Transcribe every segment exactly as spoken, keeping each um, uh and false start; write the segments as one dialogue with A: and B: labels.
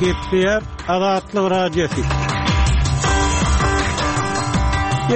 A: Gepleýär Azatlyk Radiosy.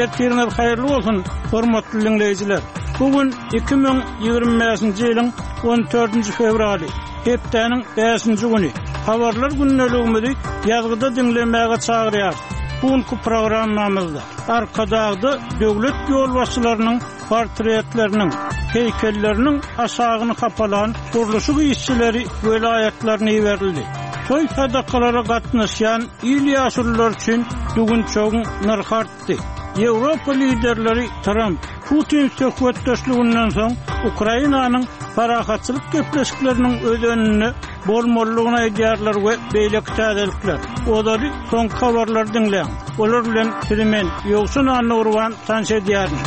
A: Ertiriňiz haýyrly bolsun, hormatly diňleýjiler. Bu gün iki müň ýigrimi bäşinji ýylyň on dördünji fewraly, hepdäniň bäşinji güni. Habarlar gündeligimizi ýazgyda diňlemäge çagyrýarys. Bu günki programmamyzda Arkadagda döwlet ýolbaşçylarynyň portretleriniň, heýkelleriniň aşagyny hapalan gurluşyk işçileri welaýatlaryna iberildi. Toý sadakalara gatnaşýan il ýaşululary üçin düwünçegiň nyrhy artdy. Ýewropa liderleri Tramp, Putin söhbetdeşliginden soň Ukrainanyň parahatçylyk gepleşikleriniň özeninde bolmalydygyny aýdýarlar we beýleki täzelikler. Ozaly soňky habarlary diňläň. Olar bilen sizi men, Ýowşan Annagurban tanyş edýärin.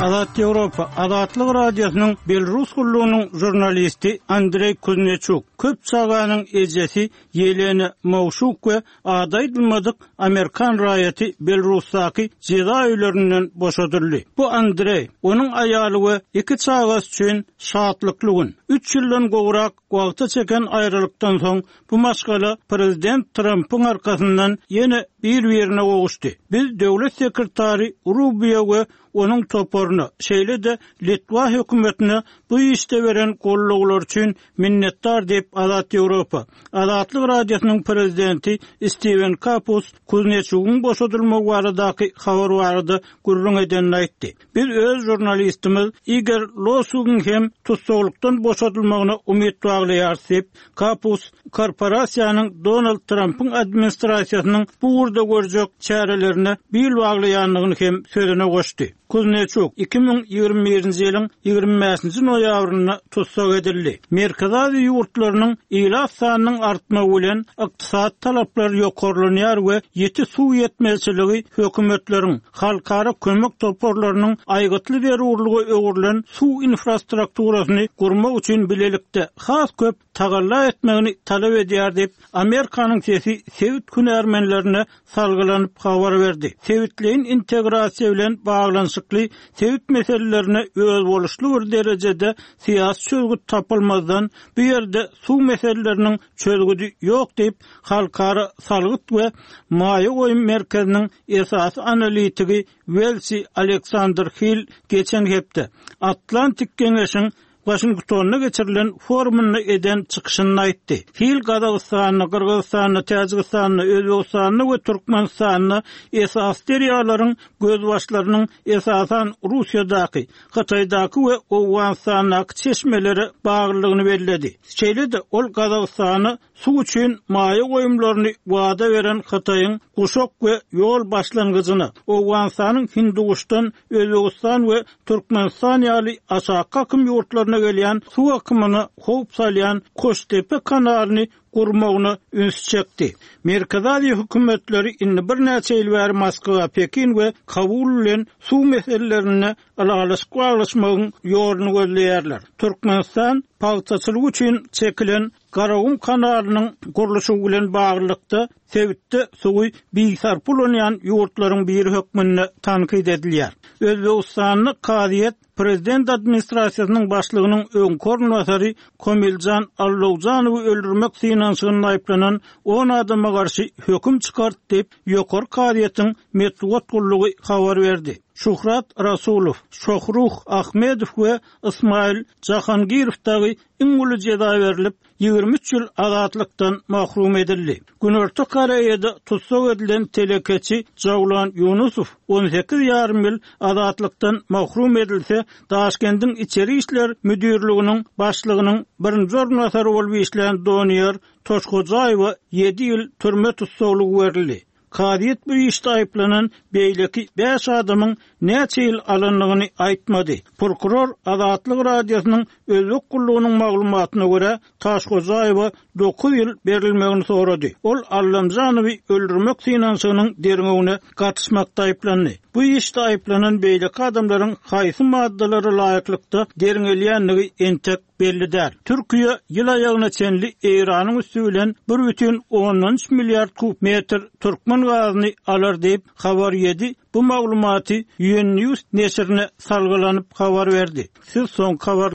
A: Azat Ýewropa, Azatlyk Radiosynyň Belarus gullugynyň žurnalisti Andreý Kuzneçuk, köp çaganyň ejesi Ýelena Mowşuk we ady aýdylmadyk amerikan raýaty Belarusdaky jeza öýlerinden boşadyldy. Bu Andreý, onuň aýaly we iki çagasy üçin şatlykly gün. Üç ýyldan gowrak wagta çeken aýralykdan soň bu maşgala prezident Trampyň arkasyndan ýene bir-birine gowuşdy. Biz döwlet sekretary Rubio we onuň toparyna, şeýle-de Litwa hökümetine bu işde beren gollawlary üçin minnetdar diýip Azat Ýewropa, Azatlyk Radiosynyň prezidenti Steven Kapus Kuzneçugyň boşadylmagy baradaky habar barada gürrüň edenini aýtdy. Biz öz žurnalistimiz Igor Losugyň hem tussaglykdan boşadylmagyna umyt baglaýarys diýip, Kapus korporasiýanyň Donald Trampyň administrasiýasynyň bu ugurda görjek çärelerine bil baglaýandygyny hem sözüne goşdy. Kuzneçuk iki müň ýigrimi birinji ýylyň ýigrimi bäşinji noýabrynda tussag edildi. Merkezi Aziýa ýurtlarynyň ilat sanynyň artmagy bilen ykdysady talaplar ýokarlanýar we ýiti suw ýetmezçiligi hökümetleriň, halkara kömek toparlarynyň aýgytly zerurlygy öwrülen suw infrastrukturasyny gurmak üçin bilelikde has köp tagalla etmegini talap edýär diýip, Amerikanyň sesi sebit hünärmenlerine salgylanyp habar berdi. Sebitleýin integrasiýa bilen baglanyşykly sebit meselelerine özboluşly bir derejede syýasy çözgüt tapylmazdan bu ýerde suw meseleleriniň çözgüdi ýok diýip, Halkara salgyt we maýa goýum merkeziniň esasy analitigi Welsi Aleksandr Hill geçen hepde Atlantik Geňeşiň Waşingtonda geçirilen forumynda eden çykyşynda aýtdy. Hill Gazagystanda, Gyrgyzystanda, Täjigistanda, Özbegistanda we Türkmenistanda esasy derýalaryň gözbaşlarynyň esasan Russiýadaky, Hytaýdaky we Owganystandaky çeşmelere baglydygyny belledi. Şeýle-de ol Gazagystana suw üçin maýa goýumlaryny wada beren Hytaýyň Guşak we ýol başlangyjyna, Owganystanyň Hinduguşdan Özbegistan we Türkmenistan ýaly aşaky akym ýurtlaryna gelýän suw akymyna howp salýan Koştepe kanalyny gurmagyna üns çekdi. Merkezi Aziýa hökümetleri indi birnäçe ýyl bäri Moskwa, Pekin we Kabul bilen suw meselelerinde ylalaşyk baglaşmagyň ýoluny gözleýärler. Türkmenistan pagtaçylyk üçin çekilen Garagum kanalynyň gurluşygy bilen baglylykda sebitde suwy bisarp ulanýan ýurtlaryň biri hökmünde tankyt edilýär. Özbegistanda kazyýet prezident administrasiýasynyň başlygynyň öňki orunbasary Komiljan Allowjanowy öldürmek synanyşygynda aýyplanan on adama garşy höküm çykardy diýip, ýokary kazyýetiň metbugat gullugy habar berdi. Şuhrat Rasulow, Şohruh Ahmedow we Ismail Jahangirow dagy iň uly jeza berlip, ýigrimi üç ýyl azatlykdan mahrum edildi. Günorta Koreýada tussag edilen telekeçi Jawlan Ýunusow on sekiz ýarym ýyl azatlykdan mahrum edilse, Daşkendiň içeri işler müdirliginiň başlygynyň birinji orunbasary bolup işlän Doniýar Toşhojaýewa ýedi ýyl türme tussaglygy berildi. Kazyýet bu işde aýyplanan beýleki bäş adamyň näçe ýyl alandygyny aýtmady. Prokuror Azatlyk Radiosynyň Özbek gullugynyň maglumatyna görä, Taşhojaýewa dokuz ýyl berilmegini sorady. Ol Allamjanowy öldürmek synanyşygynyň derňewine gatyşmakda aýyplandy. Bu işde aýyplanan beýleki adamlaryň haýsy maddalara laýyklykda derňelýändigi entek belli däl. Türkiýe ýyl aýagyna çenli Eýranyň üsti bilen bir bütin ondan üç milliard kub metr türkmen gazyny alar diýip, habar ýedi. Bu maglumaty U N News neşirine salgylanyp habar berdi. Siz soňky habar